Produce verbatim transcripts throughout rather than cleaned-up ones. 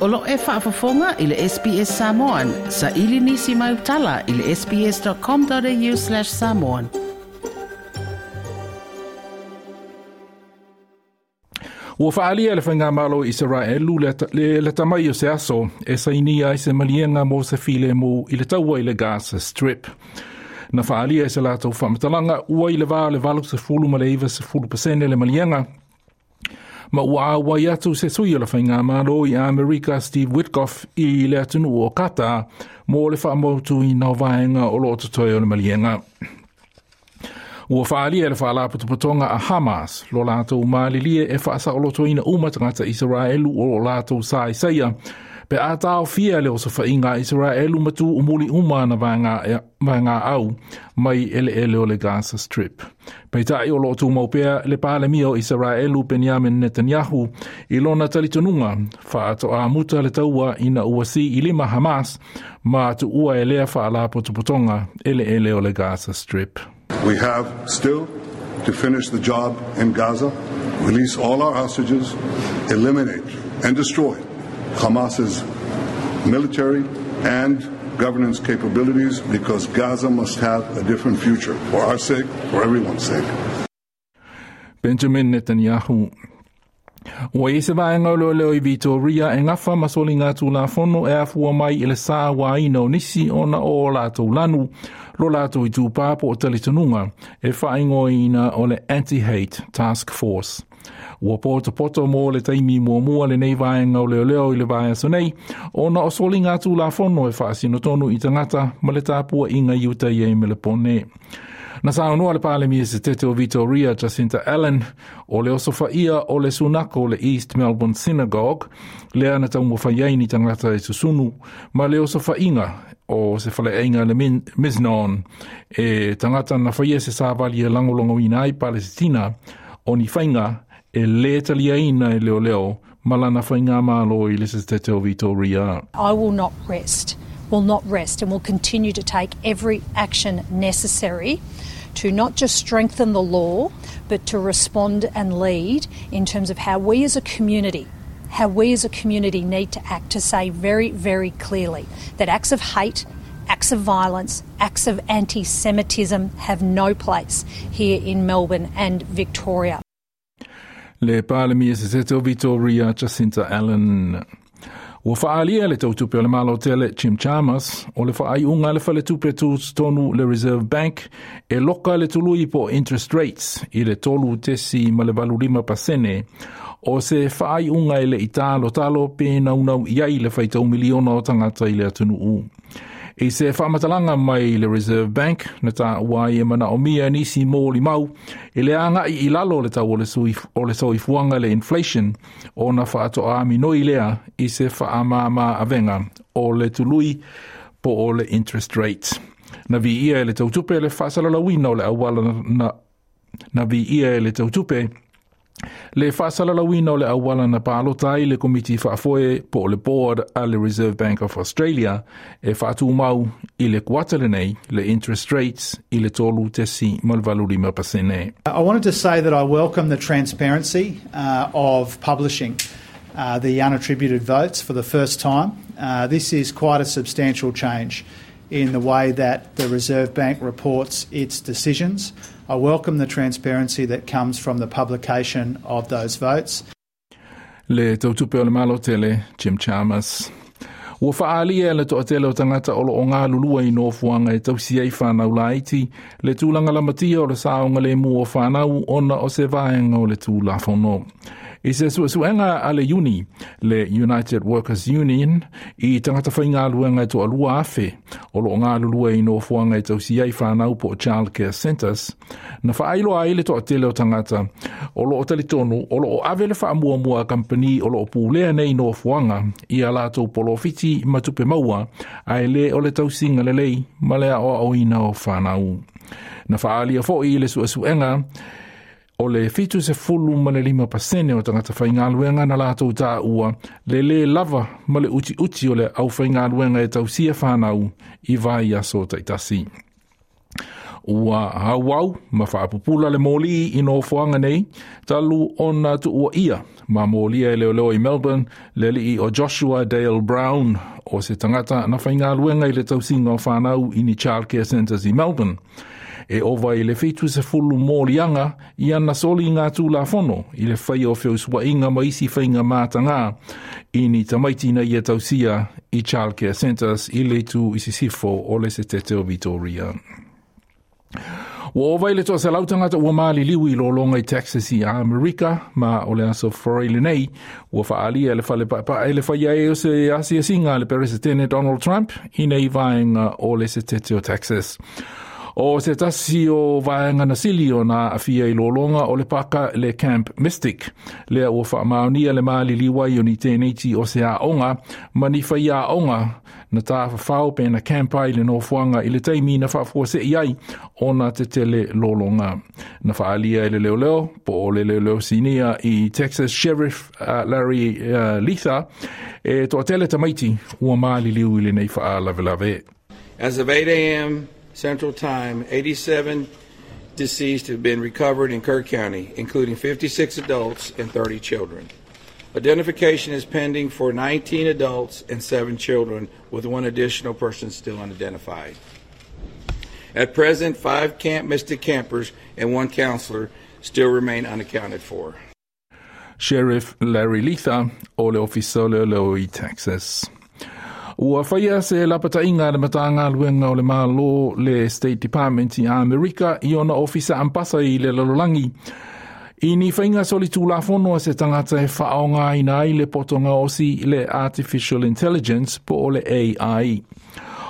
O lo e faafofoga i le S B S Samoan. Sa ili nisi mai utala i le sbs.com.au slash samoan. Ua faalia le faigamalo Israelu le, le, le tamai o se aso e sainia ai se maliega mo se file mo i le taua i le Gaza Strip. Na faalia e se latou faamatalaga ua i le va le valu sefulu ma le iva sefulu pasene le maliega. Ma ua auai atu se sui o le faigamalo i Amerika Steve Witkoff i le atunuu o Qatar mo le faamautuina o vaega o loo totoe o le maliega. Ua faalia le faalapotopotoga a Hamas lo latou malilie e faasaolotoina uma tagata Israelu o lo latou sa isaia pe a taofia le osofaiga a Israelu ma tu umuli uma na vaega, vaega au mai eleele o le Gaza Strip. Peitai o loo tumau pea le palemia o Israelu Benjamin Netanyahu i lona talitonuga faatoamuta le taua ina ua si i lima Hamas ma tuua e lea faalapotopotoga eleele o le Gaza Strip. We have still to finish the job in Gaza, release all our hostages, eliminate and destroy Hamas's military and governance capabilities, because Gaza must have a different future for our sake, for everyone's sake. Benjamin Netanyahu. Ua i se vaega o leoleo i Victoria e gafa ma soliga tulafono e afua mai i le sa uaina o nisi ona o latou lanu lo latou itupā po o talitonuga e faaigoaina o le Anti-Hate Task Force. Ua potopoto mo le taimi muamua lenei vaega o leoleo i le vaiaso nei ona o soliga tulafono e faasinotonu i tagata ma le tapuaiga i uta i ai Melepone. Na saunoa le palemia se tete o Victoria Jacinta Allen o le osofaia o le sunako o le East Melbourne Synagogue lea na taumafai ai ni tagata e susunu ma le osofaiga o se faleaiga le Miznon e tagata na faia se savali e lagolagoina ai Palesitina o ni faiga e lē taliaina e leoleo ma lana faigamalo i le se tete o Victoria. I will not rest. will not rest and will continue to take every action necessary to not just strengthen the law, but to respond and lead in terms of how we as a community, how we as a community need to act to say very, very clearly that acts of hate, acts of violence, acts of anti-Semitism have no place here in Melbourne and Victoria. Le Palemia se tete o Victoria Jacinta Allen. Ua faalia le tautupe o le malo tele Jim Chalmers o le faaiuga le faletupe tutotonu le Reserve Bank e loka le tului po interest rates i le tolu tesi ma le valu lima pasene o se faaiuga e le i talotalo pe naunau i ai le faitau miliona o tagata i le atunuu. I se faamatalaga mai le Reserve Bank na taua ai e manaomia nisi molimau i le agai i lalo le tau o le, sui, o le soifuaga le inflation ona faatoa lea i se faamama avega o le tului po o le interest rate. Na viia e le tautupe le faasalalauina o le auala na, na viia e le tautupe le faasalalauina o le auala na palota ai le komiti faafoe po o le board a le Reserve Bank of Australia e faatumau i le kuata lenei le interest rates i le tolu tesi ma le valu lima pasene. I wanted to say that I welcome the transparency uh, of publishing uh, the unattributed votes for the first time. Uh, this is quite a substantial change in the way that the Reserve Bank reports its decisions. I welcome the transparency that comes from the publication of those votes. Le tautupe o le malo tele, Jim Chalmers. Ua faalia le toatele o tagata o loo galulua i nofoaga e tausi ai whanau laiti, le tulaga lamatia o le saogalemu o whanau ona o se vaega o le tulafono. I se suesuega a le Uni, le United Workers Union, i tagata faigaluega e toalua afe o loo galulua i nofoaga e tausi ai whanau po o childcare centres, na faailoa ai le toatele o tagata o loo talitonu o loo ave le faamuamua a kampani o loo pulea nei nofoaga i a latou polofiti ma tupe maua ae lē o le tausiga lelei ma le aoaoina o whanau. Na faalia foi le suesuega o le fitu sefulu ma le lima pasene o tagata faigaluega na latou taua le lē lava ma le utiuti o le aufaigaluega e tausia whanau i vaiaso taitasi. Ua auau ma faapupula le moli i nofoaga nei talu ona tuuaia ma molia e leoleo i Melbourne le alii o Joshua Dale Brown, o se tagata na faigaluega i le tausiga o fanau i ni childcare centres i Melbourne. E ova i le fitu sefulu moliaga i ana soliga tulafono i le faia o feusuaiga ma isi faiga matagā i ni tamaiti na ia tausia i childcare centres i le itu i sisifo o le setete o Victoria. Ua ova i le toaselau tagata ua maliliu i lologa i Texas i Amerika, ma o le aso Forai lenei ua faaalia e le fale paepae le faia ai o se asiasiga a le Peresetene Donald Trump i nei vaega o le setete o Texas. O se tasi o vaega na sili ona aafia i lologa o le paka le Camp Mystic, lea ua faamaonia le maliliu ai o ni teineiti o se aoga ma ni faiaoga na tafafao pe na camp ai le nofoaga i le taimi na faafuasei ai ona tetele lologa. Na faaalia e le leoleo po o le leoleo sinia i Texas Sheriff uh, Larry uh, Leitha e toatele tamaiti ua maliliu i lenei faalavelave. As of eight a m. Central Time, eighty-seven deceased have been recovered in Kerr County, including fifty-six adults and thirty children. Identification is pending for nineteen adults and seven children, with one additional person still unidentified. At present, five Camp Mystic campers and one counselor still remain unaccounted for. Sheriff Larry Leitha o le Ofisa o Leoleo i Texas. Ua faia se lapataiga a le Matagaluega o le Malo le State Department i Amerika i ona ofisa ambasa i le lalolagi i ni faiga solitulafono a se tagata e faaaogaina ai le poto gaosi le Artificial Intelligence po o le A I.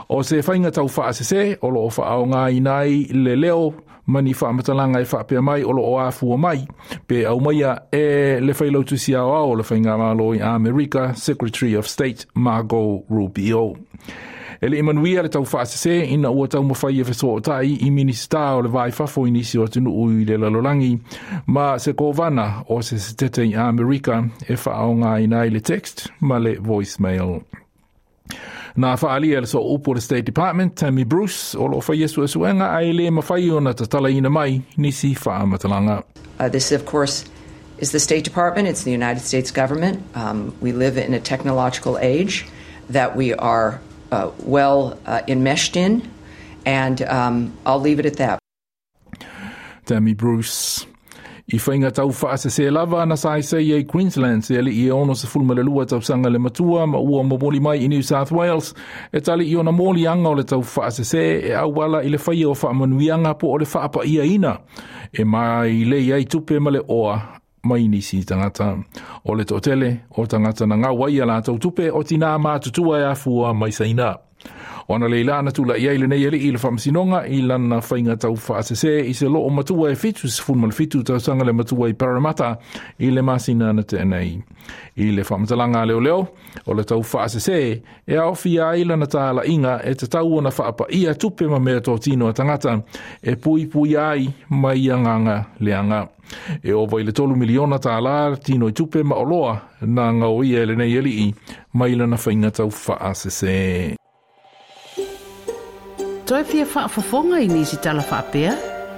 O se faiga tau faasese o loo faaaogaina ai le leo ma ni faamatalaga e faapea mai o loo afua mai pe aumaia e le failautusi aoao o le faigamalo i Amerika, Secretary of State Marco Rubio. E le i manuia le tau faasese ina ua taumafai e fesootai i Minisita o le Va i Fafo i nisi o atunuu i le lalolagi ma se kovana o se setete i Amerika e faaaogaina ai le text ma le voicemail. Na faaalia le sooupu o le State Department, Tammy Bruce, o loo faia suesuega ae le mafai ona tatalaina mai nisi faamatalaga. Uh, this, of course, is the State Department. It's the United States government. Um, we live in a technological age that we are uh, well uh, enmeshed in, and um, I'll leave it at that. Tammy Bruce. I faiga tau faasese lava na saisai ai Queensland se alii e ono sefulu ma le lua tausaga le matua ma ua momoli mai i New South Wales e tali i ona moliaga o le tau faasese e auala i le faia o faamanuiaga po o le faapaiaina e mai lei ai tupe ma le oa mai nisi tagata. O le toatele o tagata na gau ai a latou tupe o tinā matutua e afua mai Saina. O analeila na tula'i ai lenei alii i le faamasinoga i lana faiga tau faasese i se loo matua e fitu sefulu ma le fitu tausaga le matua i Parramatta i le masina na tea nei. I le faamatalaga a leoleo, o le tau faasese e aofia ai lana talaiga e tatau ona faapaia tupe ma mea totino a tagata e puipui ai mai agaga leaga. E ova i le tolu miliona tālā tino i tupe ma oloa na gaoia e lenei alii mai lana faiga tau faasese. Toe fia faafofoga i nisi tala faapea?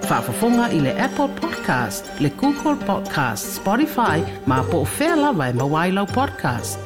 Faafofoga i le Apple Podcast, le Google Podcast, Spotify, ma po o fea lava e maua ai lau podcast.